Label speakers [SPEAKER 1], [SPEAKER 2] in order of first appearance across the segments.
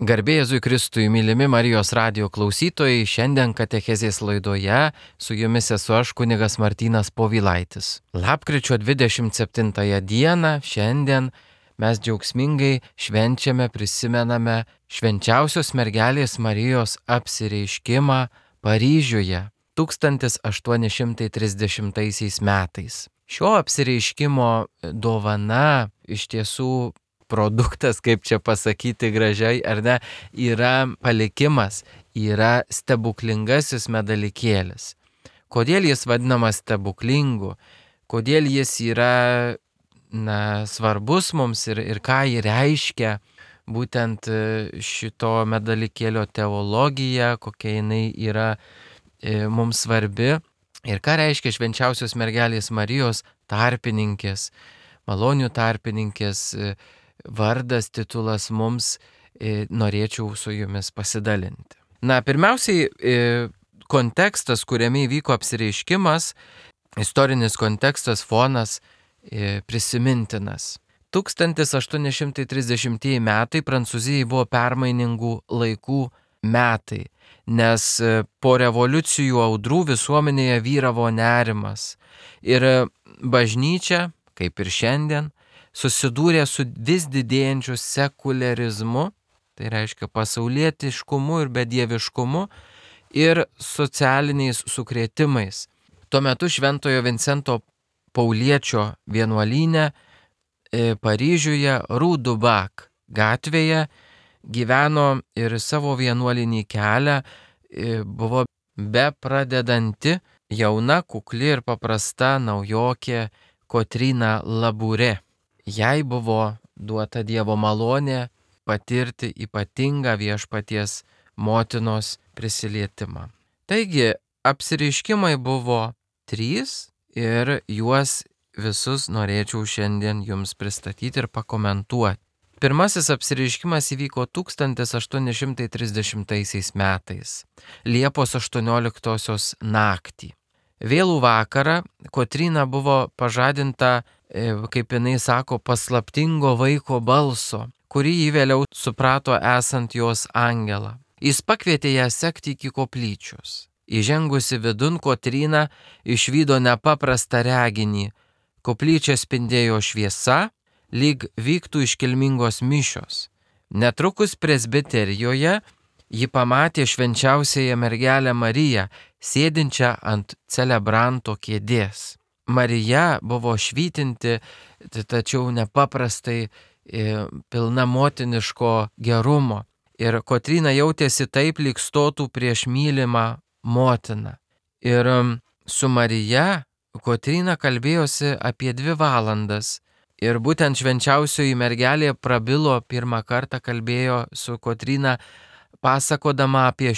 [SPEAKER 1] Garbė Jėzui Kristui, mylimi Marijos radijo klausytojai, šiandien katechezės laidoje su jumis esu aš, kunigas Martynas Povilaitis. Lapkričio 27 dieną šiandien mes džiaugsmingai švenčiame, prisimename švenčiausios mergelės Marijos apsireiškimą Paryžiuje 1830 metais. Šio apsireiškimo dovana iš tiesų produktas, kaip čia pasakyti gražiai, ar ne, yra palikimas, yra stebuklingasis medalikėlis. Kodėl jis vadinamas stebuklingu, kodėl jis yra svarbus mums ir ką jį reiškia, būtent šito medalikėlio teologija, kokia jinai yra mums svarbi ir ką reiškia švenčiausios mergelės Marijos tarpininkės, malonių tarpininkės vardas, titulas mums, norėčiau su jumis pasidalinti. Pirmiausiai, kontekstas, kuriame įvyko apsireiškimas, istorinis kontekstas, fonas prisimintinas. 1830 metai Prancūzijai buvo permainingų laikų metai, nes po revoliucijų audrų visuomenėje vyravo nerimas. Ir bažnyčia, kaip ir šiandien, susidūrė su vis didėjančiu sekuliarizmu, tai reiškia pasaulietiškumu ir bedieviškumu ir socialiniais sukrėtimais. Tuo metu Šventojo Vincento Pauliečio vienuolyne Paryžiuje Rue du Bac gatvėje gyveno ir savo vienuolinį kelią buvo bepradedanti jauna, kukli ir paprasta naujokė Kotryna Labouré. Jai buvo duota Dievo malonė patirti ypatingą viešpaties motinos prisilietimą. Taigi, apsireiškimai buvo 3 ir juos visus norėčiau šiandien jums pristatyti ir pakomentuoti. Pirmasis apsireiškimas įvyko 1830 metais, Liepos 18 naktį. Vėlų vakarą Kotryna buvo pažadinta, kaip jinai sako, paslaptingo vaiko balso, kurį jį vėliau suprato esant jos angelą. Jis pakvietė ją sekti iki koplyčios. Įžengusi vidun, Kotryna išvydo nepaprastą reginį. Koplyčia spindėjo šviesa, lyg vyktų iškilmingos mišios. Netrukus presbiterijoje ji pamatė švenčiausiąją mergelę Mariją, sėdinčią ant celebranto kėdės. Marija buvo švytinti, tačiau nepaprastai pilna motiniško gerumo. Ir Kotryna jautėsi taip, lyg stotų prieš mylimą motiną. Ir su Marija Kotryna kalbėjosi apie 2 valandas. Ir būtent švenčiausioji mergelė prabilo pirmą kartą, kalbėjo su Kotryna, pasakodama apie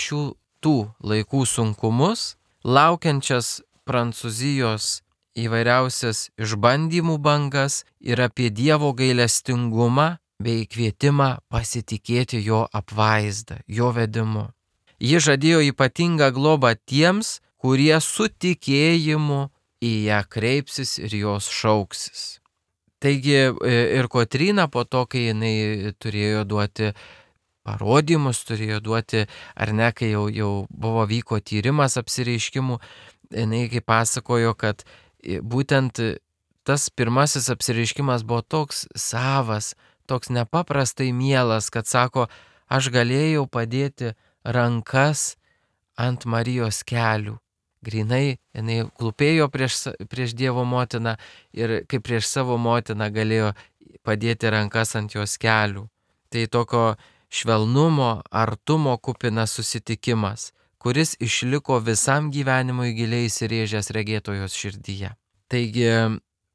[SPEAKER 1] tų laikų sunkumus, laukiančias Prancūzijos įvairiausias išbandymų bangas ir apie Dievo gailestingumą bei kvietimą pasitikėti jo apvaizdą, jo vedimu. Ji žadėjo ypatingą globą tiems, kurie su tikėjimu į ją kreipsis ir jos šauksis. Taigi ir Kotryna po to, kai jinai turėjo duoti parodymus, turėjo duoti, ar ne, kai jau vyko tyrimas apsireiškimų, jinai kaip pasakojo, kad būtent tas pirmasis apsireiškimas buvo toks savas, toks nepaprastai mielas, kad sako, aš galėjau padėti rankas ant Marijos kelių. Grinai, jinai klūpėjo prieš Dievo motiną ir kaip prieš savo motiną galėjo padėti rankas ant jos kelių. Tai tokio švelnumo, artumo kupinas susitikimas, kuris išliko visam gyvenimui giliai įsirėžęs regėtojos širdyje. Taigi,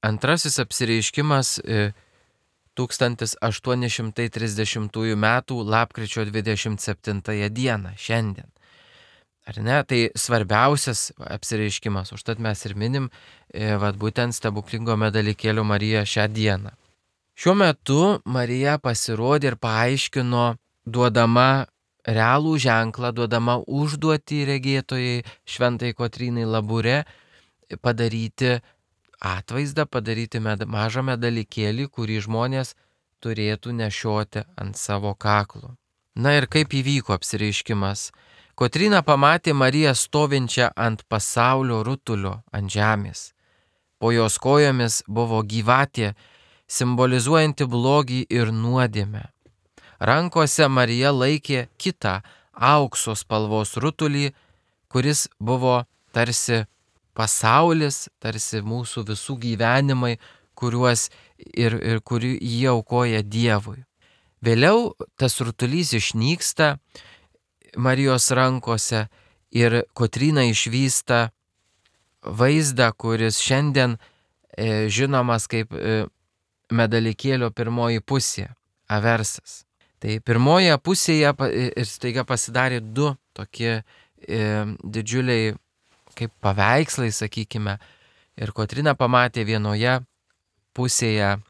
[SPEAKER 1] antrasis apsireiškimas 1830 metų lapkričio 27 dieną, šiandien. Ar ne? Tai svarbiausias apsireiškimas, užtat mes ir minim būtent stebuklingo medalikėlio Mariją šią dieną. Šiuo metu Marija pasirodė ir paaiškino, duodama realų ženklą, duodama užduotį regėtojai šventai Kotrynai Labouré padaryti atvaizdą, padaryti mažą medalikėlį, kurį žmonės turėtų nešioti ant savo kaklo. Na ir kaip įvyko apsireiškimas? Kotryna pamatė Mariją stovinčią ant pasaulio rutulio ant žemės. Po jos kojomis buvo gyvatė, simbolizuojanti blogį ir nuodėmę. Rankose Marija laikė kitą aukso spalvos rutulį, kuris buvo tarsi pasaulis, tarsi mūsų visų gyvenimai, kuriuos ir kurį jie aukoja Dievui. Vėliau tas rutulys išnyksta Marijos rankose ir Kotryna išvysta vaizdą, kuris šiandien žinomas kaip medalikėlio pirmoji pusė, aversas. Tai pirmoje pusėje ir staiga pasidarė du tokie didžiuliai kaip paveikslai, sakykime. Ir Kotryna pamatė vienoje pusėje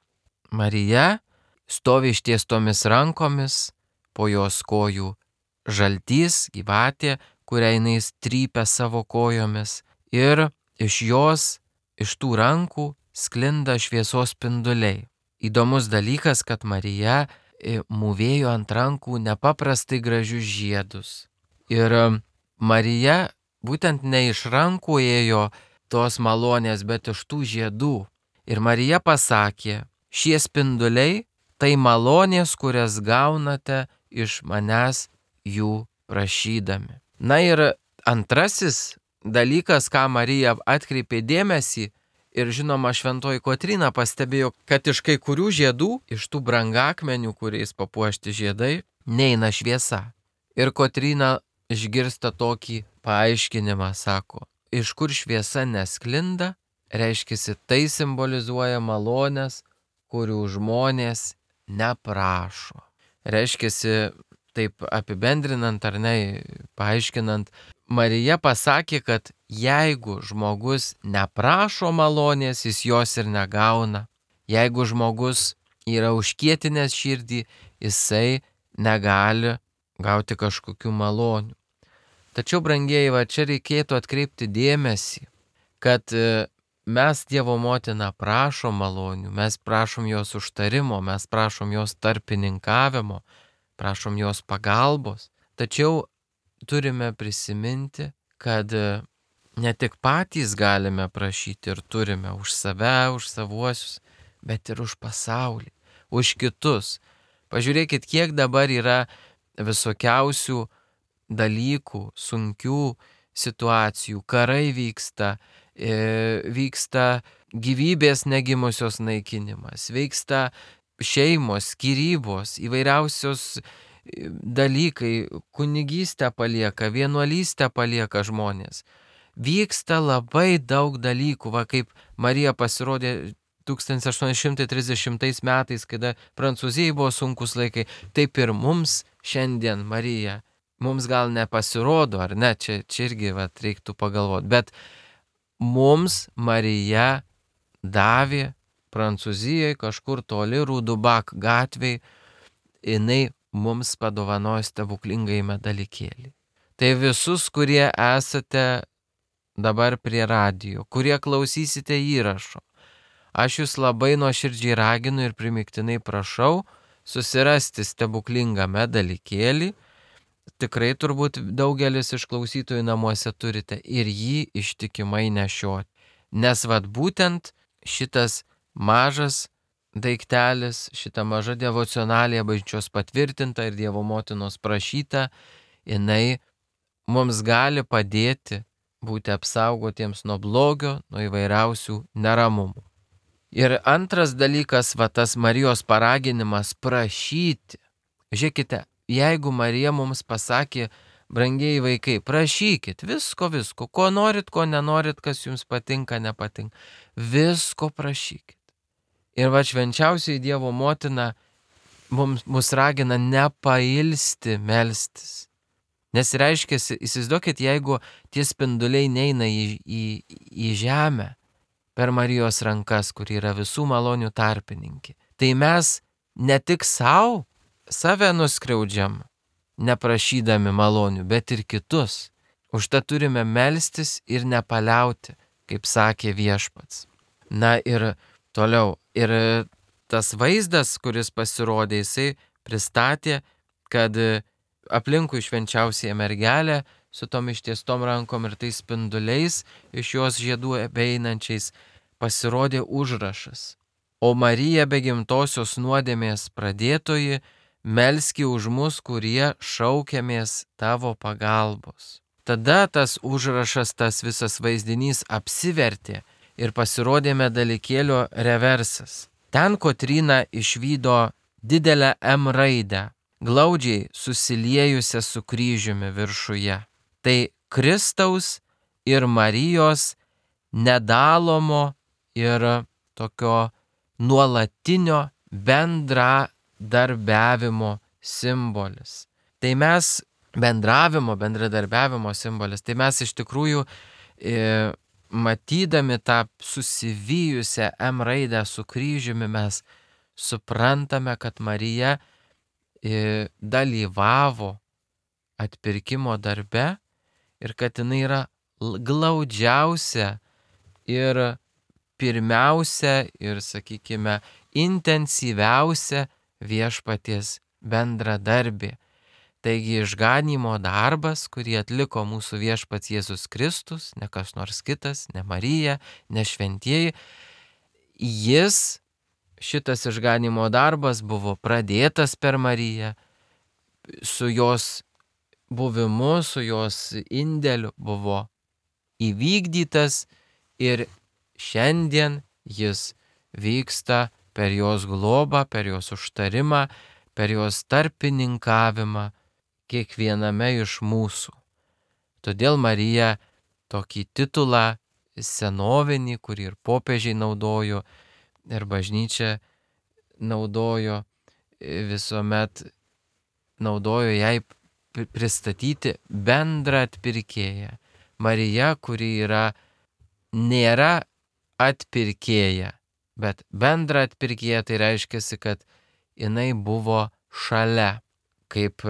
[SPEAKER 1] Mariją, stovi ištiestomis rankomis, po jos kojų žaltys, gyvatė, kurią jinai trypia savo kojomis. Ir iš jos, iš tų rankų, sklinda šviesos spinduliai. Įdomus dalykas, kad Marija mūvėjo ant rankų nepaprastai gražius žiedus. Ir Marija būtent ne iš rankų ėjo tos malonės, bet iš tų žiedų. Ir Marija pasakė, šie spinduliai tai malonės, kurias gaunate iš manęs jų prašydami. Na ir antrasis dalykas, ką Marija atkreipė dėmesį, ir žinoma šventoji Kotryna pastebėjo, kad iš kai kurių žiedų, iš tų brangakmenių, kuriais papuošti žiedai, neina šviesa. Ir Kotryna išgirsta tokį paaiškinimą, sako, iš kur šviesa nesklinda, reiškia, tai simbolizuoja malonės, kurių žmonės neprašo. Reiškia, taip apibendrinant ar ne, paaiškinant, Marija pasakė, kad jeigu žmogus neprašo malonės, jis jos ir negauna. Jeigu žmogus yra užkietinęs širdį, jisai negali gauti kažkokių malonių. Tačiau, brangieji, va čia reikėtų atkreipti dėmesį, kad mes Dievo motiną prašom malonių, mes prašom jos užtarimo, mes prašom jos tarpininkavimo, prašom jos pagalbos. Tačiau turime prisiminti, kad ne tik patys galime prašyti ir turime už save, už savuosius, bet ir už pasaulį, už kitus. Pažiūrėkit, kiek dabar yra visokiausių dalykų, sunkių situacijų, karai vyksta gyvybės negimusios naikinimas, vyksta šeimos, skyrybos, įvairiausios dalykai, kunigystę palieka, vienuolystę palieka žmonės. Vyksta labai daug dalykų, va kaip Marija pasirodė 1830 metais, kada Prancūzijai buvo sunkus laikai, taip ir mums šiandien Marija, mums gal nepasirodo, ar ne, čia irgi va, reiktų pagalvoti, bet mums Marija davė Prancūzijai kažkur toli Rudubak gatvėj, jinai mums padovanojo stebuklingąjį medalikėlį. Tai visus, kurie esate dabar prie radijo, kurie klausysite įrašo, aš jūs labai nuoširdžiai raginu ir primiktinai prašau susirasti stebuklingą medalikėlį. Tikrai turbūt daugelis iš klausytojų namuose turite ir jį ištikimai nešioti. Nes vat būtent šitas mažas daiktelis, šita maža devocionalija bažnyčios patvirtinta ir Dievo motinos prašyta, jinai mums gali padėti būti apsaugotiems nuo blogio, nuo įvairiausių neramumų. Ir antras dalykas, va tas Marijos paraginimas prašyti. Žiūrėkite, jeigu Marija mums pasakė, brangieji vaikai, prašykit visko, ko norit, ko nenorit, kas jums patinka, nepatinka, visko prašykit. Ir va švenčiausiai Dievo motina mus ragina nepailsti melstis. Nes reiškia, įsivaizduokit, jeigu tie spinduliai neina į žemę per Marijos rankas, kur yra visų malonių tarpininkė, tai mes ne tik save nuskriaudžiam, neprašydami malonių, bet ir kitus. Užtat turime melstis ir nepaliauti, kaip sakė Viešpats. Na ir toliau. Ir tas vaizdas, kuris pasirodė, jisai pristatė, kad aplinkui švenčiausiąją mergelę su tom ištiestom rankom ir tais spinduliais iš jos žiedų beeinančiais pasirodė užrašas. O Marija be gimtosios nuodėmės pradėtoji, melski už mus, kurie šaukiamės tavo pagalbos. Tada tas užrašas, tas visas vaizdinys apsivertė ir pasirodė medalikėlio reversas. Ten Kotryna išvydo didelę M raidę, glaudžiai susiliejusią su kryžiumi viršuje. Tai Kristaus ir Marijos nedalomo ir tokio nuolatinio bendradarbiavimo simbolis. Tai mes bendradarbiavimo simbolis. Tai mes iš tikrųjų matydami tą susivijusią M raidę su kryžiumi mes suprantame, kad Marija dalyvavo atpirkimo darbe ir kad jinai yra glaudžiausia ir pirmiausia ir, sakykime, intensyviausia viešpaties bendradarbė. Taigi išganymo darbas, kurį atliko mūsų viešpats Jėzus Kristus, ne kas nors kitas, ne Marija, ne šventieji, šitas išganymo darbas buvo pradėtas per Mariją, su jos buvimu, su jos indėliu buvo įvykdytas ir šiandien jis vyksta per jos globą, per jos užtarimą, per jos tarpininkavimą kiekviename iš mūsų. Todėl Marija tokį titulą senovinį, kurį ir popiežiai naudojo, ir bažnyčia naudojo, visuomet naudojo jai pristatyti bendrą atpirkėją. Marija, kuri nėra atpirkėja, bet bendra atpirkėja, tai reiškia, kad jinai buvo šalia, kaip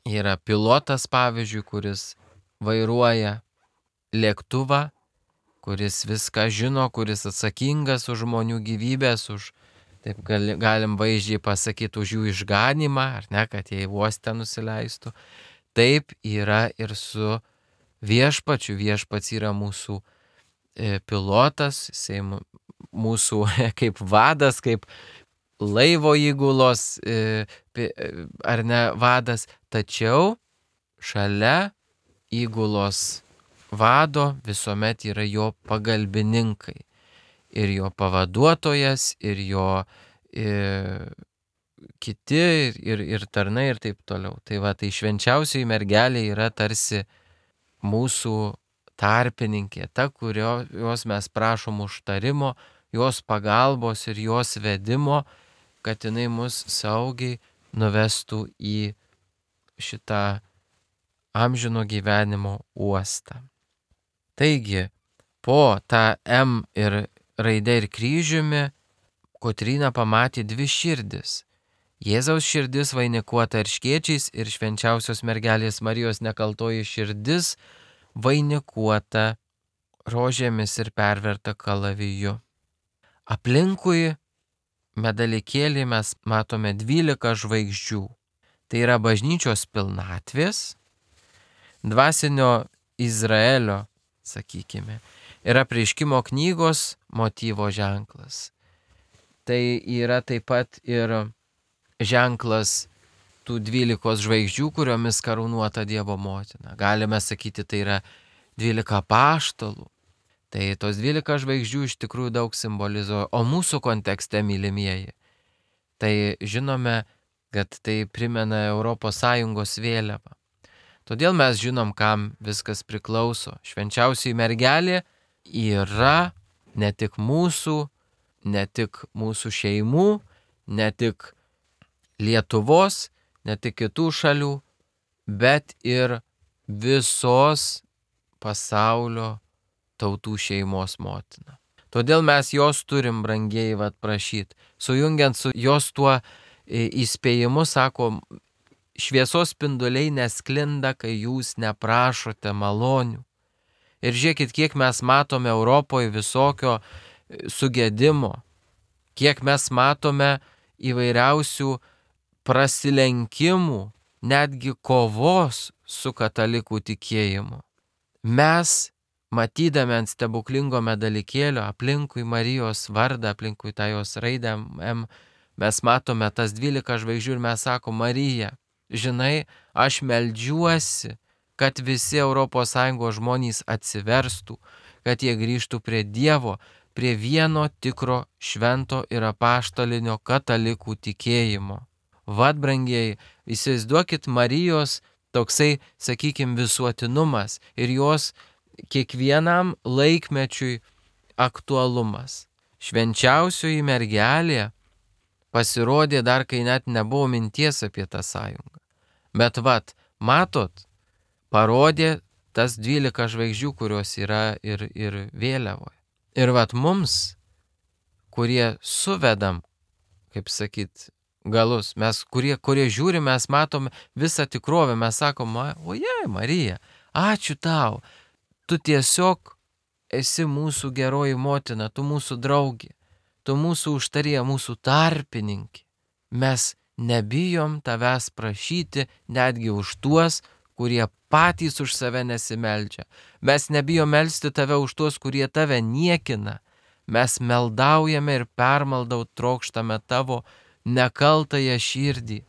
[SPEAKER 1] yra pilotas, pavyzdžiui, kuris vairuoja lėktuvą, kuris viską žino, kuris atsakingas už žmonių gyvybės, taip galim vaizdžiai pasakyti, už jų išganymą, ar ne, kad jie į uostą nusileistų. Taip yra ir su viešpačiu. Viešpats yra mūsų pilotas, jisai mūsų kaip vadas, kaip laivo įgulos, ar ne, vadas, tačiau šalia įgulos vado visuomet yra jo pagalbininkai. Ir jo pavaduotojas, ir jo kiti, ir tarnai, ir taip toliau. Tai švenčiausioji mergelė yra tarsi mūsų tarpininkė, ta, kurios mes prašom užtarimo, jos pagalbos ir jos vedimo, kad jinai mus saugiai nuvestų į šitą amžino gyvenimo uostą. Taigi, po tą M ir raidė ir kryžiumi, Kotryna pamatė dvi širdis. Jėzaus širdis vainikuota erškėčiais ir švenčiausios mergelės Marijos nekaltoji širdis vainikuota rožėmis ir perverta kalaviju. Aplinkui medalikėlį mes matome 12 žvaigždžių. Tai yra bažnyčios pilnatvės, dvasinio Izraelio, sakykime, ir apreiškimo knygos motyvo ženklas. Tai yra taip pat ir ženklas tų 12 žvaigždžių, kuriomis karūnuota Dievo motina. Galime sakyti, tai yra 12 apaštalų. Tai tos 12 žvaigždžių iš tikrųjų daug simbolizuoja. O mūsų kontekste, mylimieji, tai žinome, kad tai primena ES vėliavą. Todėl mes žinom, kam viskas priklauso. Švenčiausioji mergelė yra ne tik mūsų šeimų, ne tik Lietuvos, ne tik kitų šalių, bet ir visos pasaulio tautų šeimos motina. Todėl mes jos turim, brangieji, prašyti. Sujungiant su jos tuo įspėjimu, sako, šviesos spinduliai nesklinda, kai jūs neprašote malonių. Ir žiūrėkit, kiek mes matome Europoje visokio sugedimo, kiek mes matome įvairiausių prasilenkimų netgi kovos su katalikų tikėjimu. Mes, matydami ant stebuklingo medalikėlio aplinkui Marijos vardą, aplinkui tą jos raidę M, mes matome tas 12 žvaigždžių ir mes sakom, Marija, žinai, aš meldžiuosi, kad visi ES žmonės atsiverstų, kad jie grįžtų prie Dievo, prie vieno tikro švento ir apaštalinio katalikų tikėjimo. Vat, brangieji, įsivaizduokit Marijos toksai, sakykime, visuotinumas ir jos kiekvienam laikmečiui aktualumas. Švenčiausioji mergelė pasirodė dar, kai net nebuvo minties apie tą sąjungą. Bet vat, matot, parodė tas 12 žvaigždžių, kurios yra ir vėliavoje. Ir vat mums, kurie suvedam, kaip sakyt, galus, mes, kurie žiūrim, mes matom visą tikrovę, mes sakom, oje, Marija, ačiū tau, tu tiesiog esi mūsų geroji motina, tu mūsų draugė, tu mūsų užtarėja, mūsų tarpininkė. Mes nebijom tavęs prašyti netgi už tuos, kurie patys už save nesimeldžia. Mes nebijom melsti tave už tuos, kurie tave niekina. Mes meldaujame ir permaldau trokštame tavo nekaltąją širdį.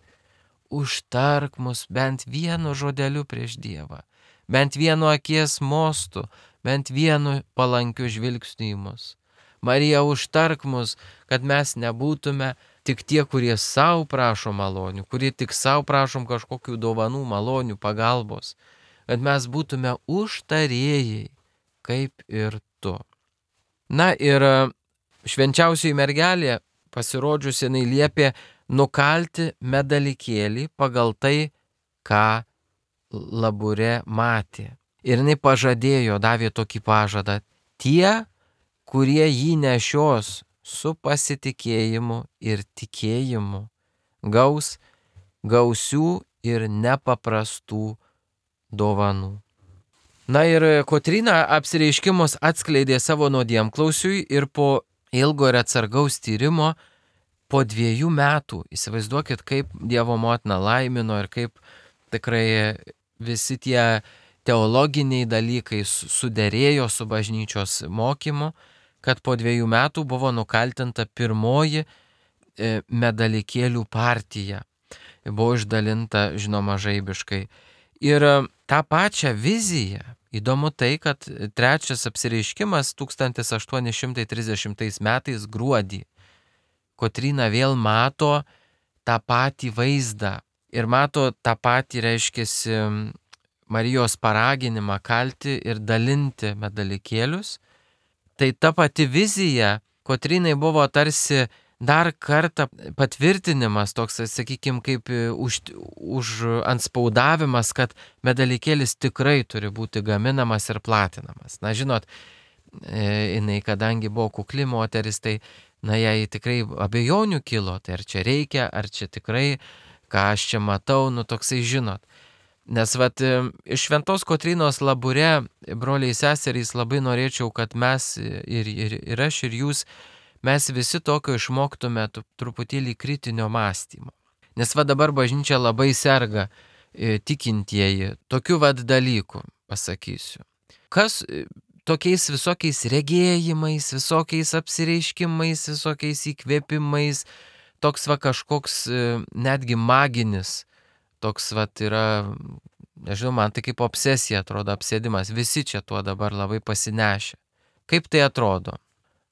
[SPEAKER 1] Užtark mus bent vienu žodeliu prieš Dievą, bent vienu akies mostu, bent vienu palankiu žvilgsniu į mus. Marija, užtark mus, kad mes nebūtume tik tie, kurie savo prašo malonių, kurie tik savo prašom kažkokių dovanų, malonių, pagalbos, kad mes būtume užtarėjai, kaip ir tu. Na ir švenčiausioji mergelė pasirodžiusi, jinai liepė nukalti medalikėlį pagal tai, ką Labure matė. Ir jinai pažadėjo, davė tokį pažadą, tie, kurie jį nešios su pasitikėjimu ir tikėjimu, gaus gausių ir nepaprastų dovanų. Na ir Kotryna apsireiškimus atskleidė savo nuodėmklausiui ir po ilgo ir atsargaus tyrimo po 2 metų, įsivaizduokit, kaip Dievo motina laimino ir kaip tikrai visi tie teologiniai dalykai suderėjo su bažnyčios mokymu, kad po 2 metų buvo nukaltinta pirmoji medalikėlių partija. Buvo išdalinta, žinoma, žaibiškai. Ir tą pačią viziją, įdomu tai, kad trečias apsireiškimas 1830 metais gruodį. Kotryna vėl mato tą patį vaizdą ir mato tą patį, reiškiasi, Marijos paraginimą kalti ir dalinti medalikėlius. Tai ta pati vizija Kotrynai buvo tarsi dar kartą patvirtinimas, toks, sakykime, kaip anspaudavimas, kad medalikėlis tikrai turi būti gaminamas ir platinamas. Na, žinot, jinai, kadangi buvo kukli moteris, tai, na, jai tikrai abejonių kilo, tai ar čia reikia, ar čia tikrai, ką aš čia matau, nu, toksai, žinot. Nes vat iš Šventos Kotrynos Labure, broliai seserys, labai norėčiau, kad mes ir aš ir jūs, mes visi tokio išmoktume truputėlį kritinio mąstymo. Nes va dabar bažnyčia labai serga tikintieji, tokių vad dalykų pasakysiu. Kas tokiais visokiais regėjimais, visokiais apsireiškimais, visokiais įkvėpimais, toks va kažkoks netgi maginis, toks vat yra, nežinau, man tai kaip obsesija atrodo, apsėdimas, visi čia tuo dabar labai pasinešę. Kaip tai atrodo?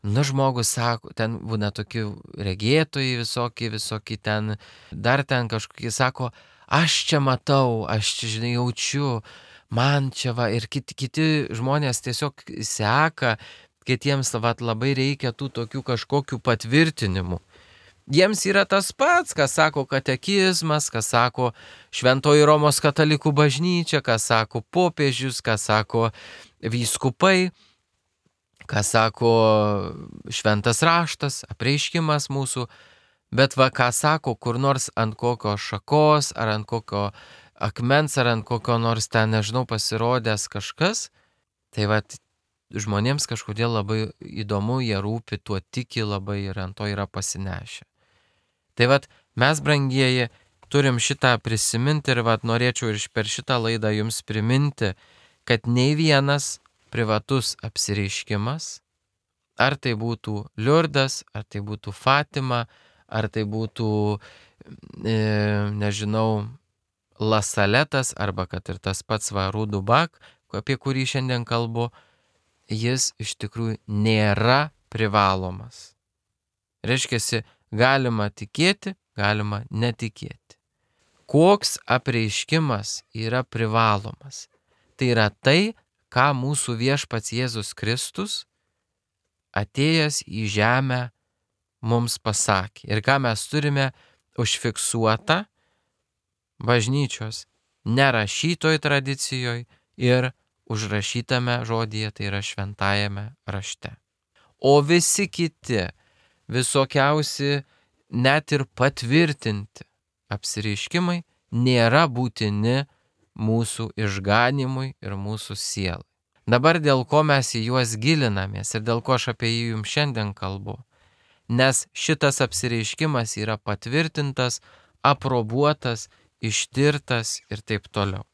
[SPEAKER 1] Nu, žmogus sako, ten būna tokių regėtojai visokie ten, dar ten kažkokie sako, aš čia matau, aš čia, žinai, jaučiu, man čia va, ir kiti žmonės tiesiog seka, kitiems vat labai reikia tų tokių kažkokių patvirtinimų. Jiems yra tas pats, ką sako katekizmas, ką sako Šventoji Romos katalikų bažnyčia, ką sako popiežius, ką sako vyskupai, ką sako šventas raštas, apreiškimas mūsų, bet va ką sako kur nors ant kokio šakos, ar ant kokio akmens, ar ant kokio nors ten, nežinau, pasirodęs kažkas, tai va žmonėms kažkodėl labai įdomu, jie rūpi, tuo tiki labai ir ant to yra pasinešę. Tai vat mes, brangieji, turim šitą prisiminti ir norėčiau ir per šitą laidą jums priminti, kad nei vienas privatus apsireiškimas, ar tai būtų Liurdas, ar tai būtų Fatima, ar tai būtų, nežinau, Lasaletas, arba kad ir tas pats Rudubak, apie kurį šiandien kalbu, jis iš tikrųjų nėra privalomas. Reiškia, galima tikėti, galima netikėti. Koks apreiškimas yra privalomas? Tai yra tai, ką mūsų viešpats Jėzus Kristus atėjęs į žemę mums pasakė. Ir ką mes turime užfiksuotą bažnyčios nerašytoj tradicijoje ir užrašytame žodyje, tai yra šventajame rašte. O visi kiti, visokiausi, net ir patvirtinti apsireiškimai nėra būtini mūsų išganimui ir mūsų sielai. Dabar dėl ko mes į juos gilinamės ir dėl ko aš apie jį jums šiandien kalbu. Nes šitas apsireiškimas yra patvirtintas, aprobuotas, ištirtas ir taip toliau.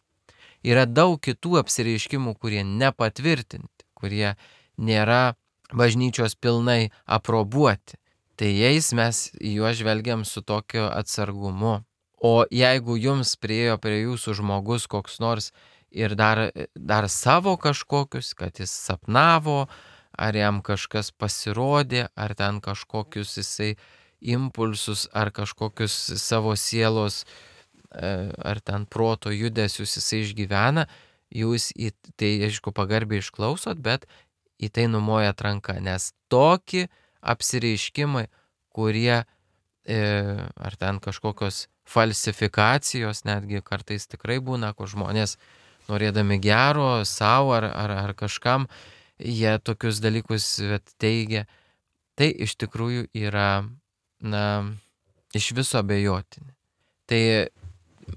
[SPEAKER 1] Yra daug kitų apsireiškimų, kurie nepatvirtinti, kurie nėra bažnyčios pilnai aprobuoti. Tai jais mes į juos žvelgiam su tokiu atsargumu. O jeigu jums priėjo prie jūsų žmogus koks nors ir dar savo kažkokius, kad jis sapnavo, ar jam kažkas pasirodė, ar ten kažkokius jisai impulsus, ar kažkokius savo sielos, ar ten proto judesius jisai išgyvena, jūs į tai, aišku, pagarbiai išklausot, bet į tai numojat ranką, nes tokie apsireiškimai, kurie, ar ten kažkokios falsifikacijos, netgi kartais tikrai būna, kur žmonės norėdami gero savo ar kažkam, jie tokius dalykus teigia, tai iš tikrųjų yra, iš viso abejotini. Tai,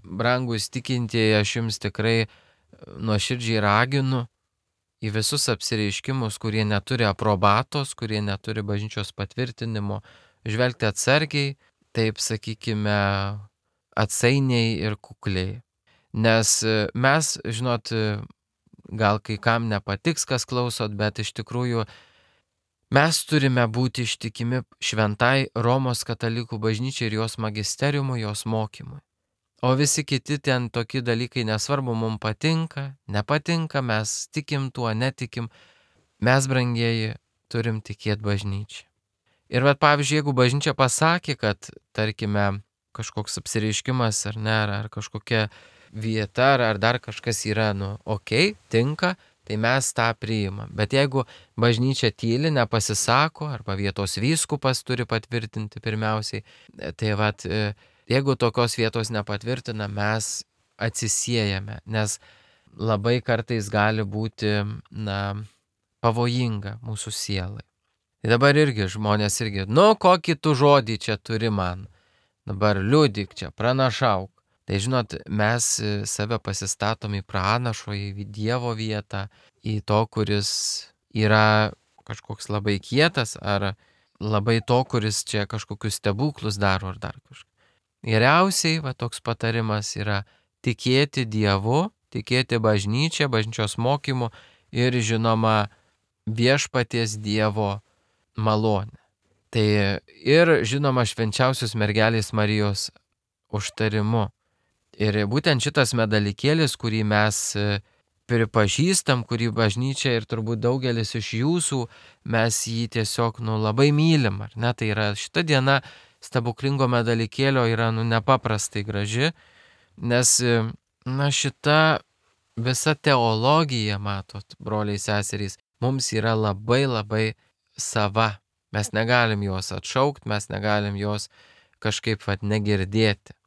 [SPEAKER 1] brangus tikintieji, aš jums tikrai nuoširdžiai raginu į visus apsireiškimus, kurie neturi aprobatos, kurie neturi bažnyčios patvirtinimo, žvelgti atsargiai, taip sakykime, atsainiai ir kukliai. Nes mes, žinot, gal kai kam nepatiks, kas klausot, bet iš tikrųjų mes turime būti ištikimi šventai Romos katalikų bažnyčiai ir jos magisteriumui, jos mokymui. O visi kiti ten tokie dalykai, nesvarbu, mums patinka, nepatinka, mes tikim tuo, netikim. Mes, brangieji, turim tikėti bažnyčią. Ir pavyzdžiui, jeigu bažnyčia pasakė, kad, tarkime, kažkoks apsireiškimas ar ne, ar kažkokia vieta, ar dar kažkas yra, okei, tinka, tai mes tą priimam. Bet jeigu bažnyčia tyli, nepasisako, arba vietos vyskupas turi patvirtinti pirmiausiai, tai jeigu tokios vietos nepatvirtina, mes atsisiejame, nes labai kartais gali būti, pavojinga mūsų sielai. Tai dabar irgi žmonės irgi, kokį tu žodį čia turi man, dabar liudyk čia, pranašauk. Tai žinot, mes save pasistatom į pranašo, į Dievo vietą, į to, kuris yra kažkoks labai kietas, ar labai to, kuris čia kažkokius stebuklus daro, ar dar kažką. Geriausiai, toks patarimas yra tikėti Dievu, tikėti bažnyčia, bažnyčios mokymu ir, žinoma, viešpaties Dievo malonę. Tai ir, žinoma, švenčiausios mergelės Marijos užtarimu. Ir būtent šitas medalikėlis, kurį mes pripažįstam, kurį bažnyčia ir turbūt daugelis iš jūsų, mes jį tiesiog labai mylim, ar ne? Tai yra šita diena stebuklingo medalikėlio yra nepaprastai graži, nes šita visa teologija, matot, broliai seserys, mums yra labai labai sava. Mes negalim jos atšaukti, mes negalim jos kažkaip negirdėti.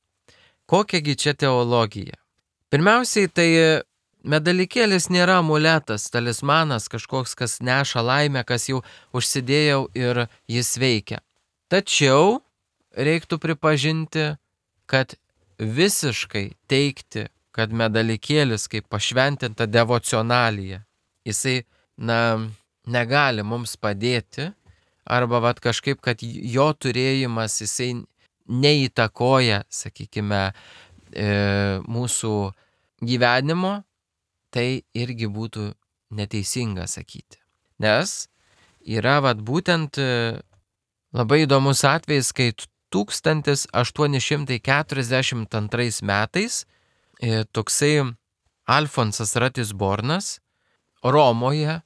[SPEAKER 1] Kokiagi čia teologija? Pirmiausiai, tai medalikėlis nėra amuletas, talismanas, kažkoks, kas neša laimę, kas jau užsidėjau ir jis veikia. Tačiau reiktų pripažinti, kad visiškai teigti, kad medalikėlis kaip pašventinta devocionalija, jisai, negali mums padėti, arba kažkaip, kad jo turėjimas, jisai neįtakoja, sakykime, mūsų gyvenimo, tai irgi būtų neteisinga sakyti. Nes yra būtent labai įdomus atvejis, kai 1842 metais toksai Alfonsas Ratisbornas Romoje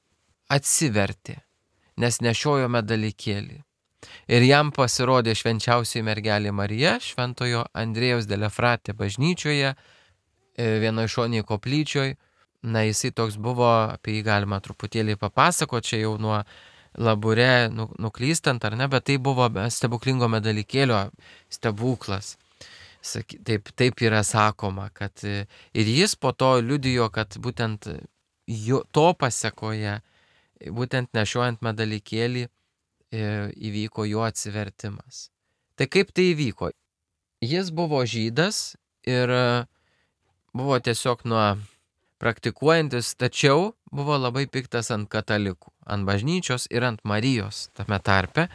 [SPEAKER 1] atsivertė, nes nešiojo medalikėlį. Ir jam pasirodė švenčiausioji mergelė Marija Šventojo Andrėjaus de la Frate bažnyčioje, vienoje šonėje koplyčioje. Na, jisai toks buvo, apie jį galima truputėlį papasakoti, čia jau nuo Labure nuklystant ar ne, bet tai buvo stebuklingo medalikėlio stebuklas. Taip yra sakoma, kad ir jis po to liudijo, kad būtent to pasekoje, būtent nešiojant medalikėlį, įvyko jo atsivertimas. Tai kaip tai įvyko? Jis buvo žydas ir buvo tiesiog praktikuojantis, tačiau buvo labai piktas ant katalikų, ant bažnyčios ir ant Marijos tame tarpe.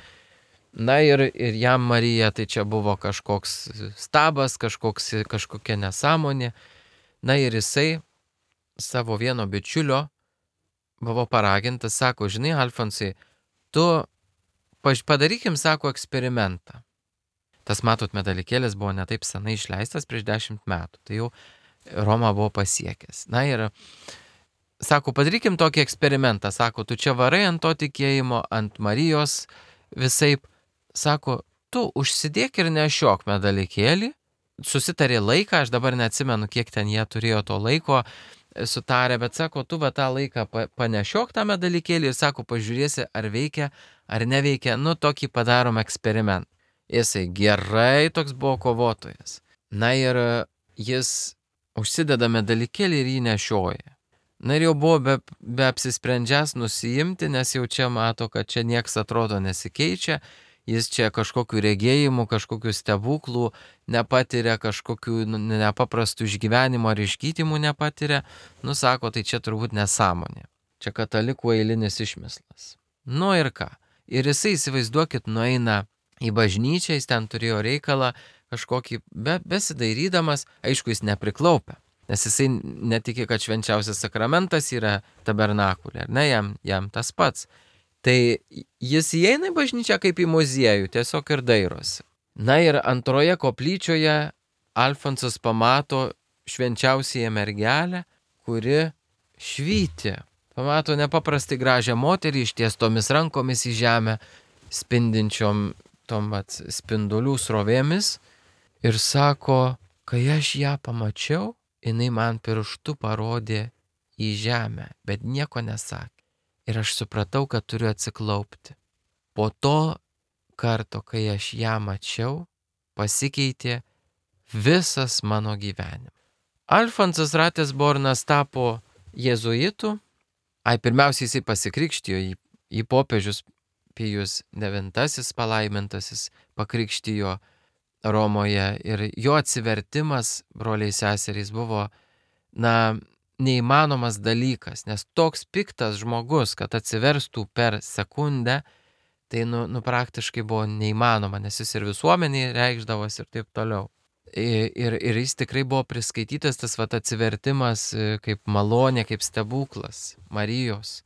[SPEAKER 1] Na ir jam Marija tai čia buvo kažkoks stabas, kažkokia nesąmonė. Na ir jisai savo vieno bičiulio buvo paragintas, sako, žinai, Alfonsai, tu padarykim, sako, eksperimentą. Tas, matot, medalikėlis buvo netaip senai išleistas prieš 10 metų, tai jau Romą buvo pasiekęs. Na ir sako, padarykim tokį eksperimentą, sako, tu čia varai ant to tikėjimo, ant Marijos visaip, sako, tu užsidėk ir nešiok medalikėlį, susitarė laiką, aš dabar neatsimenu, kiek ten jie turėjo to laiko sutarę, bet sako, tu tą laiką panešiok tą medalikėlį ir sako, pažiūrėsi, ar veikia, ar neveikia, tokį padarom eksperimentą. Jisai gerai toks buvo kovotojas. Na ir jis užsideda medalikėlį ir jį nešioja. Na ir jau buvo be apsisprendžias nusiimti, nes jau čia mato, kad čia nieks atrodo nesikeičia, jis čia kažkokių regėjimų, kažkokių stebuklų nepatiria, kažkokių nepaprastų išgyvenimų ar išgytimų nepatiria. Sako, tai čia turbūt nesąmonė. Čia katalikų eilinis išmislas. Ir ką? Ir jisai, įsivaizduokit, nueina į bažnyčią, jis ten turėjo reikalą kažkokį, besidairydamas, aišku, jis nepriklaupia, nes jisai netiki, kad švenčiausias sakramentas yra tabernakulė, ar ne, jam tas pats. Tai jis įeina į bažnyčią kaip į muziejų, tiesiog ir dairosi. Na ir antroje koplyčioje Alfonsas pamato švenčiausiąją mergelę, kuri švyti. Pamato nepaprastai gražią moterį ištiestomis rankomis į žemę, spindinčiom tom spindulių srovėmis. Ir sako, kai aš ją pamačiau, jinai man pirštu parodė į žemę, bet nieko nesakė. Ir aš supratau, kad turiu atsiklaupti. Po to karto, kai aš ją mačiau, pasikeitė visas mano gyvenimas. Alfonsas Ratisbornas tapo jėzuitu. Pirmiausiai jisai pasikrikštijo, į popiežius Pijus IX palaimintasis pakrikštijo Romoje ir jo atsivertimas, broliai seserys, buvo, neįmanomas dalykas, nes toks piktas žmogus, kad atsiverstų per sekundę, tai praktiškai buvo neįmanoma, nes jis ir visuomenį reikšdavosi ir taip toliau. Ir jis tikrai buvo priskaitytas tas atsivertimas kaip malonė, kaip stebuklas Marijos.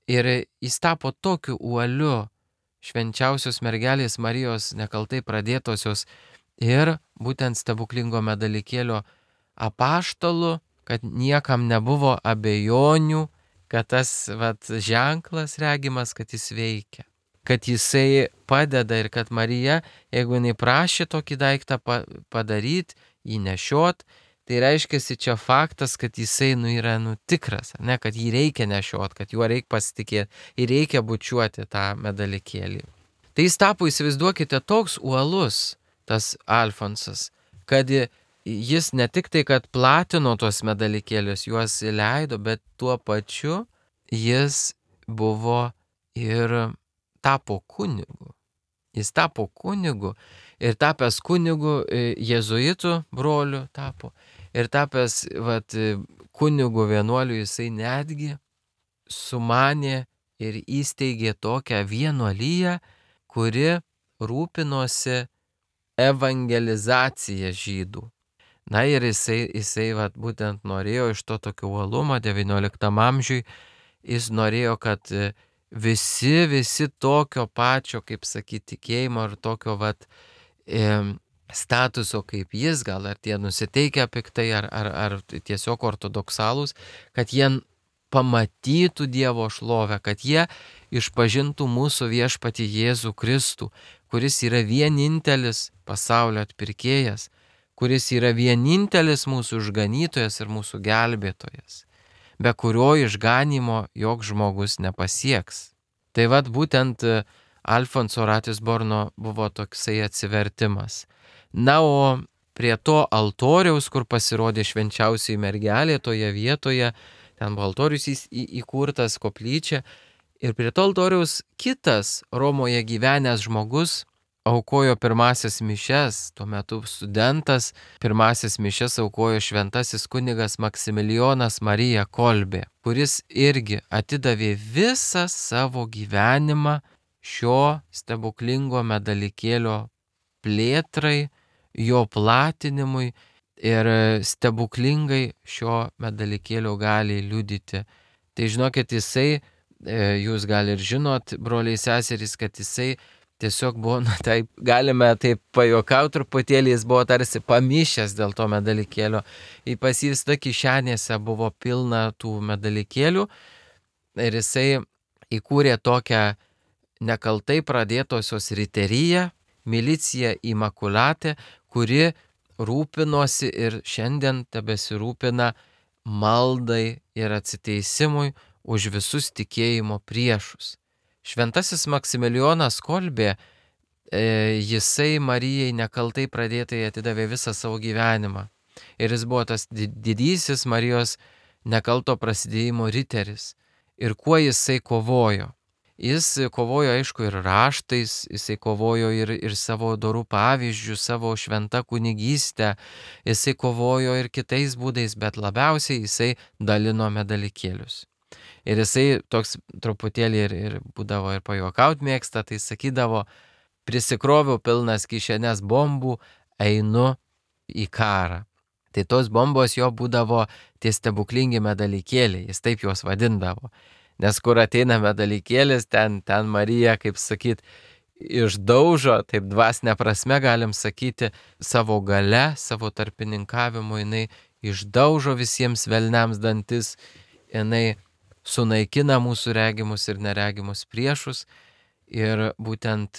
[SPEAKER 1] Ir jis tapo tokiu uoliu švenčiausios mergelės Marijos nekaltai pradėtosios ir būtent stebuklingo medalikėlio apaštalu, kad niekam nebuvo abejonių, kad tas ženklas regimas, kad jis veikia, kad jisai padeda ir kad Marija, jeigu jinai prašė tokį daiktą padaryti, jį nešiot, tai reiškia čia faktas, kad jisai yra tikras, ne, kad jį reikia nešiot, kad juo reikia pasitikėti ir reikia bučiuoti tą medalikėlį. Tai jis tapo, įsivaizduokite, toks uolus, tas Alfonsas, kad jis ne tik tai, kad platino tos medalikėlius, juos įleido, bet tuo pačiu jis buvo ir tapo kunigu. Jis tapo kunigu ir tapęs kunigu jėzuitų broliu tapo. Ir tapęs kunigu vienuoliu jisai netgi sumanė ir įsteigė tokią vienuoliją, kuri rūpinosi evangelizacija žydų. Na ir jisai vat, būtent norėjo iš to tokio uolumo XIX amžiui, jis norėjo, kad visi tokio pačio, kaip sakyti, tikėjimo ir tokio vat, statuso kaip jis, gal ar tie nusiteikę piktai, ar tiesiog ortodoksalūs, kad jie pamatytų Dievo šlovę, kad jie išpažintų mūsų viešpatį Jėzų Kristų, kuris yra vienintelis pasaulio atpirkėjas, kuris yra vienintelis mūsų išganytojas ir mūsų gelbėtojas, be kurio išganymo joks žmogus nepasieks. Tai vat būtent Alfonso Ratisborno buvo toksai atsivertimas. Na, o prie to altoriaus, kur pasirodė švenčiausiai mergelė toje vietoje, ten buvo altorius įkurtas, koplyčia, ir prie to altoriaus kitas Romoje gyvenęs žmogus aukojo pirmasias mišias, tuo metu studentas, pirmasias mišias aukojo šventasis kunigas Maksimilijonas Marija Kolbė, kuris irgi atidavė visą savo gyvenimą šio stebuklingo medalikėlio plėtrai, jo platinimui ir stebuklingai šio medalikėlio gali liudyti. Tai žinokit, jisai, jūs gal ir žinot, broliai seserys, kad jisai tiesiog buvo, taip, galime taip pajuokauti truputėlį, jis buvo tarsi pamišęs dėl to medalikėlio. Pas jį visada kišenėse buvo pilna tų medalikėlių ir jisai įkūrė tokią nekaltai pradėtosios riteriją, milicija Imakulatė, kuri rūpinosi ir šiandien tebesirūpina maldai ir atsiteisimui už visus tikėjimo priešus. Šventasis Maksimilijonas Kolbė, jisai Marijai nekaltai pradėtai atidavė visą savo gyvenimą. Ir jis buvo tas didysis Marijos nekalto prasidėjimo riteris. Ir kuo jisai kovojo? Jis kovojo, aišku, ir raštais, jisai kovojo ir savo dorų pavyzdžių, savo šventą kunigystę, jisai kovojo ir kitais būdais, bet labiausiai jisai dalino medalikėlius. Ir jisai toks truputėlį ir būdavo ir pajuokaut mėgsta, tai sakydavo, prisikroviau pilnas kišenės bombų, einu į karą. Tai tos bombos jo būdavo tie stebuklingi medalikėliai, jis taip juos vadindavo. Nes kur ateina medalikėlis, ten Marija, kaip sakyt, išdaužo, taip dvasinė prasme galim sakyti, savo gale, savo tarpininkavimu, jinai išdaužo visiems velniams dantis, jinai sunaikina mūsų regimus ir neregimus priešus. Ir būtent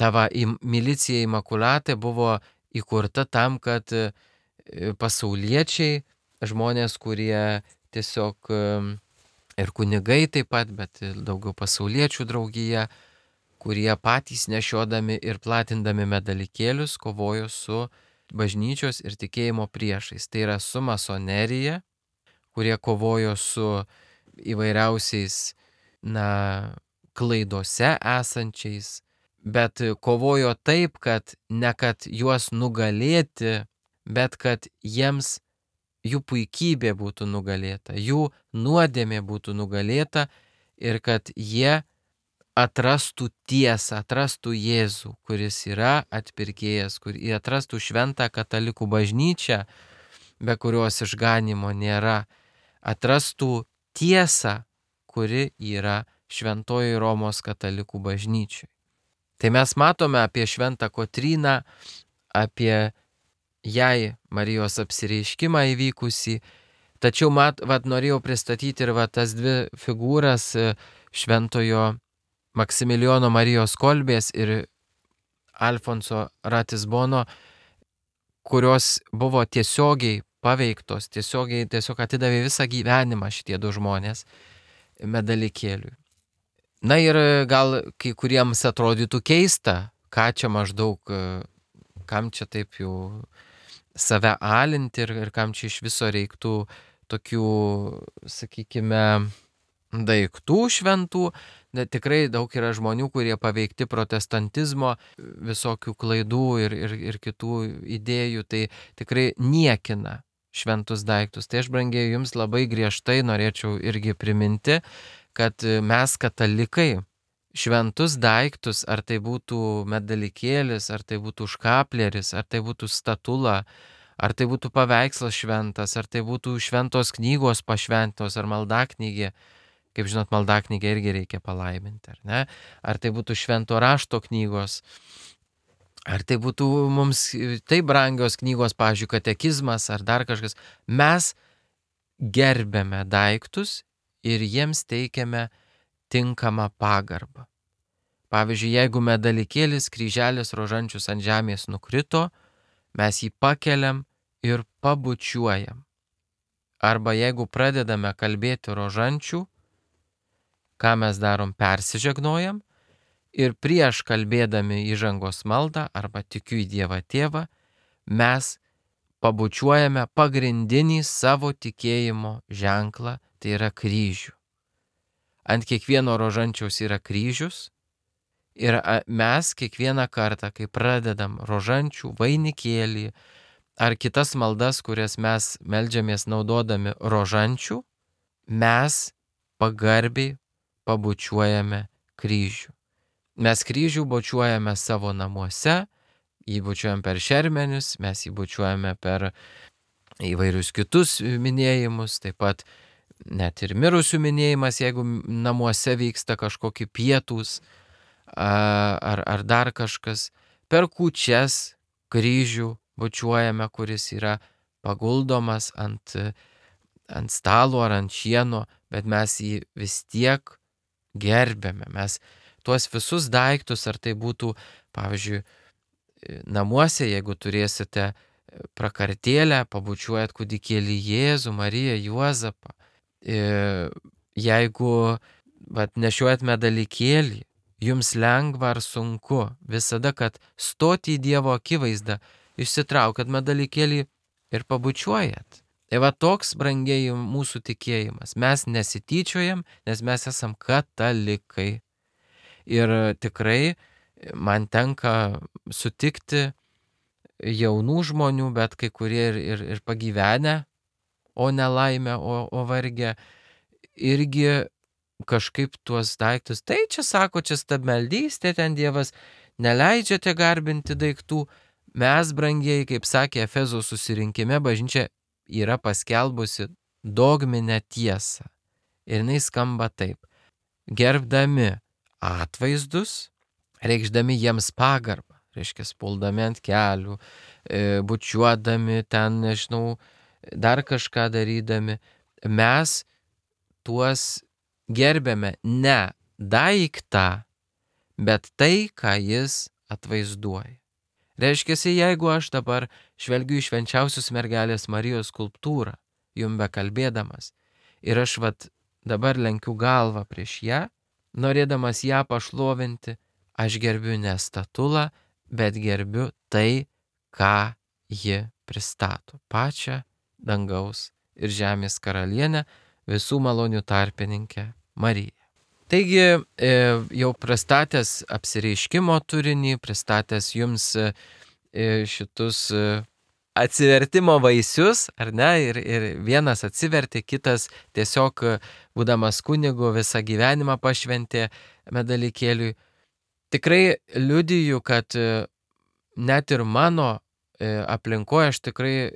[SPEAKER 1] tava milicija Imakulatė buvo įkurta tam, kad pasauliečiai, žmonės, kurie tiesiog ir kunigai taip pat, bet daugiau pasauliečių draugija, kurie patys nešiodami ir platindami medalikėlius kovojo su bažnyčios ir tikėjimo priešais. Tai yra su masonerija, kurie kovojo su įvairiausiais, klaidose esančiais, bet kovojo taip, kad ne kad juos nugalėti, bet kad jiems jų puikybė būtų nugalėta, jų nuodėmė būtų nugalėta ir kad jie atrastų tiesą, atrastų Jėzų, kuris yra atpirkėjas, kur jie atrastų šventą katalikų bažnyčią, be kurios išganimo nėra, atrastų tiesą, kuri yra šventoji Romos katalikų bažnyčiai. Tai mes matome apie šventą Kotryną, apie jai Marijos apsireiškimą įvykusį, tačiau norėjau pristatyti ir tas dvi figūras šventojo Maksimilijono Marijos Kolbės ir Alfonso Ratisbono, kurios buvo tiesiogiai paveiktos, tiesiog atidavė visą gyvenimą šitie du žmonės medalikėliui. Na ir gal kai kuriems atrodytų keista, ką čia maždaug, kam čia taip jau save alinti ir kam čia iš viso reiktų tokių, sakykime, daiktų šventų. Tikrai daug yra žmonių, kurie paveikti protestantizmo, visokių klaidų ir kitų idėjų, tai tikrai niekina šventus daiktus. Tai aš, brangieji, jums labai griežtai norėčiau irgi priminti, kad mes katalikai šventus daiktus, ar tai būtų medalikėlis, ar tai būtų škapleris, ar tai būtų statula, ar tai būtų paveikslas šventas, ar tai būtų šventos knygos pašventos, ar maldaknygė. Kaip žinot, maldaknygę irgi reikia palaiminti, ar ne? Ar tai būtų švento rašto knygos, ar tai būtų mums taip brangios knygos, pavyzdžiui, katekizmas, ar dar kažkas. Mes gerbėme daiktus ir jiems teikiame tinkamą pagarbą. Pavyzdžiui, jeigu medalikėlis, kryželis, rožančius ant žemės nukrito, mes jį pakeliam ir pabučiuojam. Arba jeigu pradedame kalbėti rožančių, ką mes darom, persižegnojam ir prieš kalbėdami įžangos maldą arba tikiu į Dievą Tėvą, mes pabučiuojame pagrindinį savo tikėjimo ženklą, tai yra kryžių. Ant kiekvieno rožančiaus yra kryžius ir mes kiekvieną kartą, kai pradedam rožančių, vainikėlį ar kitas maldas, kurias mes meldžiamės naudodami rožančių, mes pagarbiai pabučiuojame kryžių. Mes kryžių bučiuojame savo namuose, jį bučiuojam per šermenius, mes jį bučiuojame per įvairius kitus minėjimus, taip pat net ir mirusių minėjimas, jeigu namuose vyksta kažkokie pietūs ar dar kažkas. Per kūčias kryžių bučiuojame, kuris yra paguldomas ant stalo ar ant šieno, bet mes jį vis tiek gerbėme. Mes tuos visus daiktus, ar tai būtų, pavyzdžiui, namuose, jeigu turėsite prakartėlę, pabučiuojat kūdikėlį Jėzų, Mariją, Juozapą. Jeigu nešiuojat medalikėlį, jums lengva ar sunku, visada, kad stoti į Dievo akivaizdą, išsitraukat medalikėlį ir pabučiuojat. Tai toks, brangiai, mūsų tikėjimas. Mes nesityčiojam, nes mes esam katalikai. Ir tikrai man tenka sutikti jaunų žmonių, bet kai kurie ir pagyvenę, o nelaimę, o vargę, irgi kažkaip tuos daiktus. Tai čia sako, čia stabmeldystė, ten Dievas neleidžiate garbinti daiktų. Mes, brangieji, kaip sakė Efezo susirinkime, bažnyčia yra paskelbusi dogminę tiesą. Ir jinai skamba taip. Gerbdami atvaizdus, reikšdami jiems pagarbą, reiškia, puldami ant kelių, bučiuodami ten, nežinau, dar kažką darydami, mes tuos gerbėme ne daiktą, bet tai, ką jis atvaizduoja. Reiškia, jeigu aš dabar žvelgiu į švenčiausios mergelės Marijos skulptūrą, jum bekalbėdamas, ir aš dabar lenkiu galvą prieš ją, norėdamas ją pašlovinti, aš gerbiu ne statulą, bet gerbiu tai, ką ji pristato. Pačią dangaus ir žemės karalienę, visų malonių tarpininkę Mariją. Taigi, jau pristatęs apsireiškimo turinį, pristatęs jums šitus atsivertimo vaisius, ar ne, ir vienas atsivertė, kitas tiesiog, būdamas kunigu, visą gyvenimą pašventė medalikėliui. Tikrai liudiju, kad net ir mano aplinkoje aš tikrai,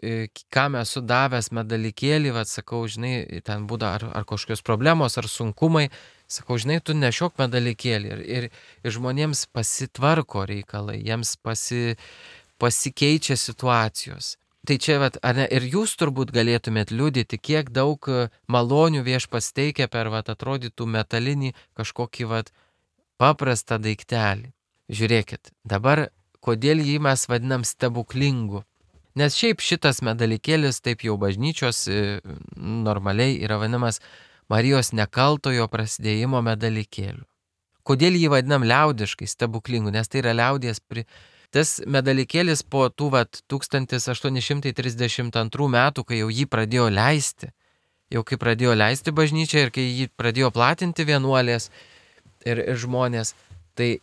[SPEAKER 1] kam esu davęs medalikėlį, sakau, žinai, ten būda ar kažkokios problemos, ar sunkumai, sakau, žinai, tu nešiok medalikėlį ir žmonėms pasitvarko reikalai, jiems pasikeičia situacijos. Tai čia, ar ne, ir jūs turbūt galėtumėt liudyti, kiek daug malonių Viešpats teikia per, atrodytų metalinį kažkokį, paprastą daiktelį. Žiūrėkit, dabar kodėl jį mes vadinam stebuklingu. Nes šiaip šitas medalikėlis, taip jau bažnyčios normaliai yra vadinamas Marijos nekaltojo prasidėjimo medalikėliu. Kodėl jį vadinam liaudiškai stebuklingu? Nes tai yra liaudies Tas medalikėlis po tų 1832 metų, kai jau jį pradėjo leisti bažnyčia ir kai jį pradėjo platinti vienuolės ir žmonės, tai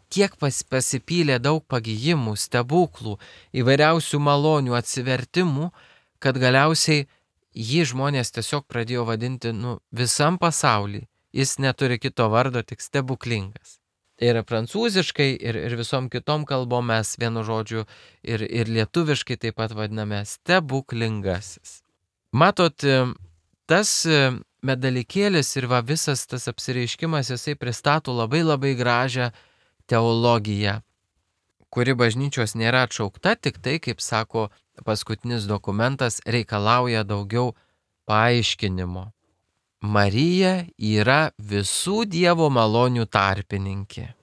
[SPEAKER 1] tiek pasipylė daug pagijimų, stebuklų, įvairiausių malonių atsivertimų, kad galiausiai jį žmonės tiesiog pradėjo vadinti visam pasauly jis neturi kito vardo, tik stebuklingas. Ir prancūziškai, ir visom kitom kalbom mes vienu žodžiu, ir lietuviškai taip pat vadiname stebuklingasis. Matot, tas medalikėlis ir visas tas apsireiškimas, jisai pristato labai gražią teologiją, kuri bažnyčios nėra atšaukta, tik tai, kaip sako paskutinis dokumentas, reikalauja daugiau paaiškinimo. Marija yra visų Dievo malonių tarpininkė.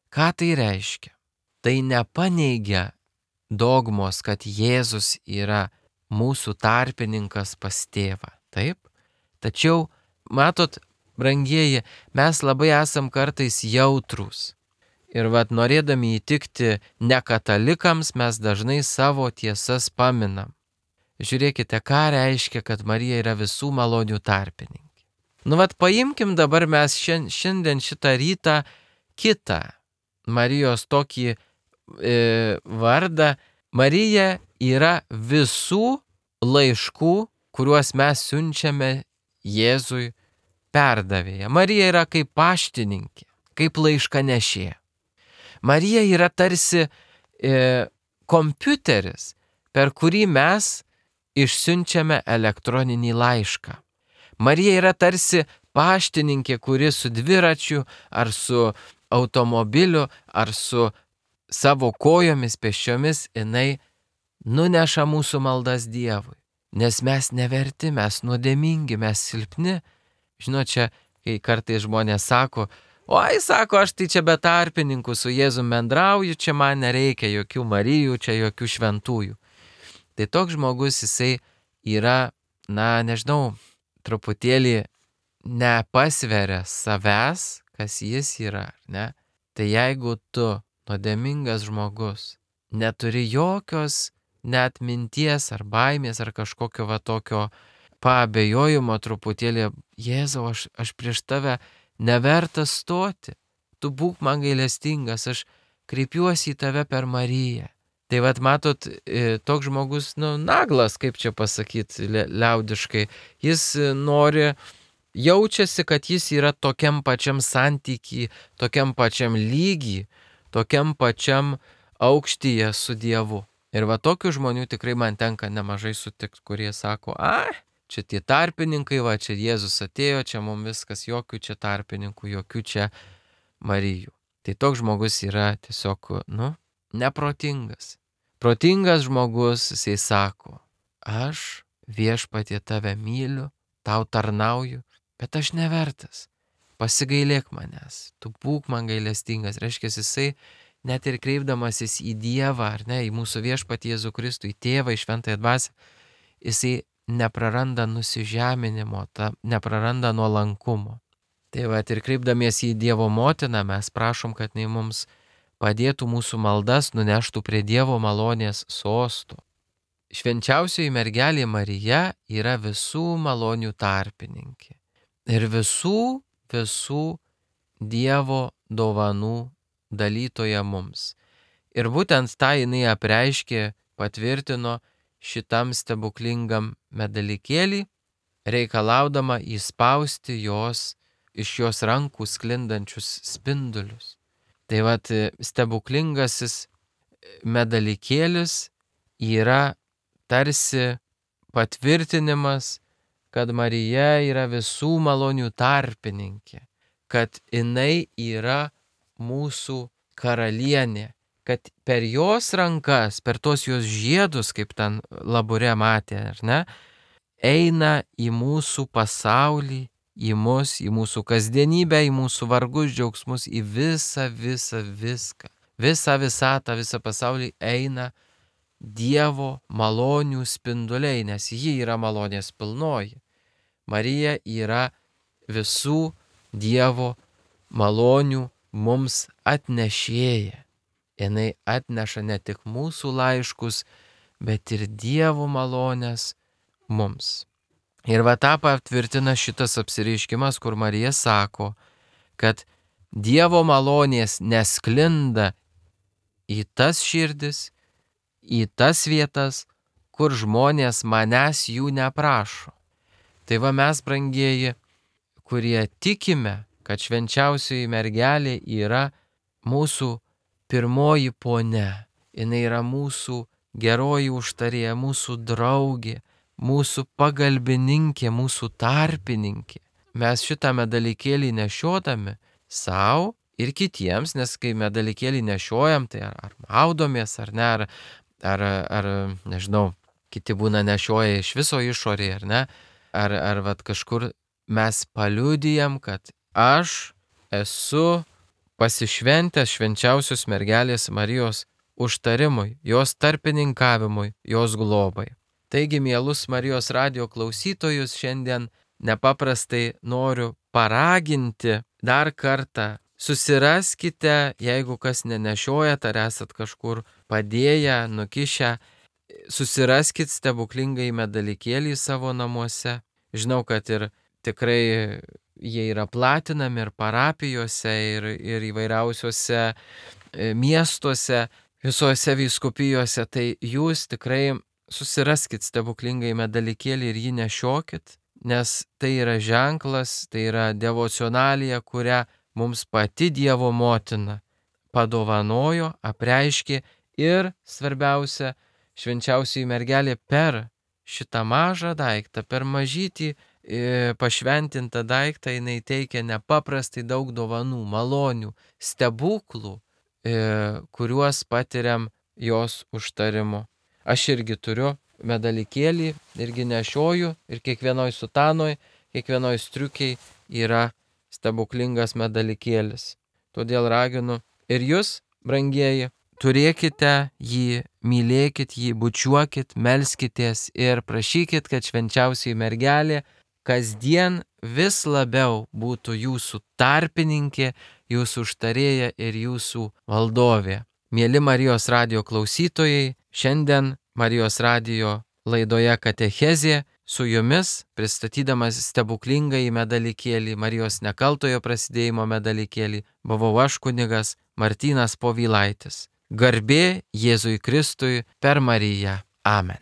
[SPEAKER 1] Ką tai reiškia? Tai nepaneigia dogmos, kad Jėzus yra mūsų tarpininkas pas tėvą. Taip? Tačiau, matot, brangieji, mes labai esam kartais jautrūs. Ir norėdami įtikti nekatalikams, mes dažnai savo tiesas paminam. Žiūrėkite, ką reiškia, kad Marija yra visų malonių tarpininkė. Paimkim dabar mes šiandien šitą rytą kitą Marijos tokį vardą. Marija yra visų laiškų, kuriuos mes siunčiame Jėzui perdavėja. Marija yra kaip paštininkė, kaip laiškanešė. Marija yra tarsi kompiuteris, per kurį mes išsiunčiame elektroninį laišką. Marija yra tarsi paštininkė, kuri su dviračiu ar su automobiliu ar su savo kojomis pėsčiomis jinai nuneša mūsų maldas Dievui. Nes mes neverti, mes nuodėmingi, mes silpni. Žinot, čia, kai kartais žmonės sako, oi, sako, aš tai čia be tarpininkų su Jėzum bendrauju, čia man nereikia jokių Marijų, čia jokių šventųjų. Tai toks žmogus, jisai yra, nežinau, truputėlį nepasveria savęs, kas jis yra, ne? Tai jeigu tu, nuodėmingas žmogus, neturi jokios net minties ar baimės ar kažkokio tokio paabejojimo truputėlį, Jėzau, aš prieš tave nevertas stoti, tu būk man gailestingas, aš kreipiuosi į tave per Mariją. Tai matot, toks žmogus, naglas, kaip čia pasakyti liaudiškai, jis jaučiasi, kad jis yra tokiam pačiam santyky, tokiam pačiam lygy, tokiam pačiam aukštyje su Dievu. Ir tokių žmonių tikrai man tenka nemažai sutikti, kurie sako, čia tie tarpininkai, čia Jėzus atėjo, čia mums viskas, jokių čia tarpininkų, jokių čia Marijų. Tai toks žmogus yra tiesiog, neprotingas. Protingas žmogus, jisai sako, aš Viešpatie tave myliu, tau tarnauju, bet aš nevertas. Pasigailėk manęs, tu būk man gailestingas. Reiškia, jisai net ir kreipdamasis į Dievą, ar ne, į mūsų Viešpatį Jėzų Kristų, į Tėvą, į Šventąją Dvasią, jisai nepraranda nusižeminimo, nepraranda nuolankumo. Tai ir kreipdamiesi į Dievo motiną, mes prašom, kad jinai mums padėtų mūsų maldas nuneštų prie Dievo malonės sostų. Švenčiausioji mergelė Marija yra visų malonių tarpininkė ir visų Dievo dovanų dalytoja mums. Ir būtent tą jinai apreiškė, patvirtino šitam stebuklingam medalikėlį, reikalaudama įspausti iš jos rankų sklindančius spindulius. Tai stebuklingasis medalikėlis yra tarsi patvirtinimas, kad Marija yra visų malonių tarpininkė, kad jinai yra mūsų karalienė, kad per jos rankas, per tos jos žiedus, kaip ten Labure matė, ar ne, eina į mūsų pasaulį, į mus, į mūsų kasdienybę, į mūsų vargus, džiaugsmus, į visą viską. Visą visatą, visą pasaulį eina Dievo malonių spinduliai, nes ji yra malonės pilnoji. Marija yra visų Dievo malonių mums atnešėja. Jinai atneša ne tik mūsų laiškus, bet ir Dievo malonės mums. Ir tą patvirtina šitas apsireiškimas, kur Marija sako, kad Dievo malonės nesklinda į tas širdis, į tas vietas, kur žmonės manęs jų neprašo. Tai mes, brangieji, kurie tikime, kad švenčiausioji mergelė yra mūsų pirmoji ponia. Jis yra mūsų geroji užtarėja, mūsų draugė, mūsų pagalbininkė, mūsų tarpininkė. Mes šitą medalikėlį nešiodami savo ir kitiems, nes kai medalikėlį nešiojam, tai ar maudomės, ar ne, ar nežinau, kiti būna nešioja iš viso išorėje, ar ne, ar vat kažkur mes paliudijam, kad aš esu pasišventęs švenčiausios mergelės Marijos užtarimui, jos tarpininkavimui, jos globai. Taigi, mielus Marijos radijo klausytojus, šiandien nepaprastai noriu paraginti dar kartą. Susiraskite, jeigu kas nenešiojat, ar esat kažkur padėję, nukišę, susiraskit stebuklingai medalikėlį savo namuose. Žinau, kad ir tikrai jie yra platinami ir parapijose, ir įvairiausiuose miestuose, visose vyskupijose, tai jūs tikrai susiraskit stebuklingai medalikėlį ir jį nešiokit, nes tai yra ženklas, tai yra devocionalija, kurią mums pati Dievo motina padovanojo, apreiškė ir svarbiausia, švenčiausioji mergelė per šitą mažą daiktą, per mažytį pašventintą daiktą jinai teikia nepaprastai daug dovanų, malonių, stebuklų, kuriuos patiriam jos užtarimu. Aš irgi turiu medalikėlį, irgi nešioju ir kiekvienoj sutanoj, kiekvienoj striukiai yra stebuklingas medalikėlis. Todėl raginu ir jūs, brangieji, turėkite jį, mylėkit jį, bučiuokit, melskitės ir prašykit, kad švenčiausioji mergelė kasdien vis labiau būtų jūsų tarpininkė, jūsų užtarėja ir jūsų valdovė. Mieli Marijos radijo klausytojai, šiandien Marijos radijo laidoje Katechezė su jumis, pristatydamas stebuklingąjį medalikėlį, Marijos nekaltojo prasidėjimo medalikėlį, buvau aš kunigas Martynas Povilaitis. Garbė Jėzui Kristui per Mariją. Amen.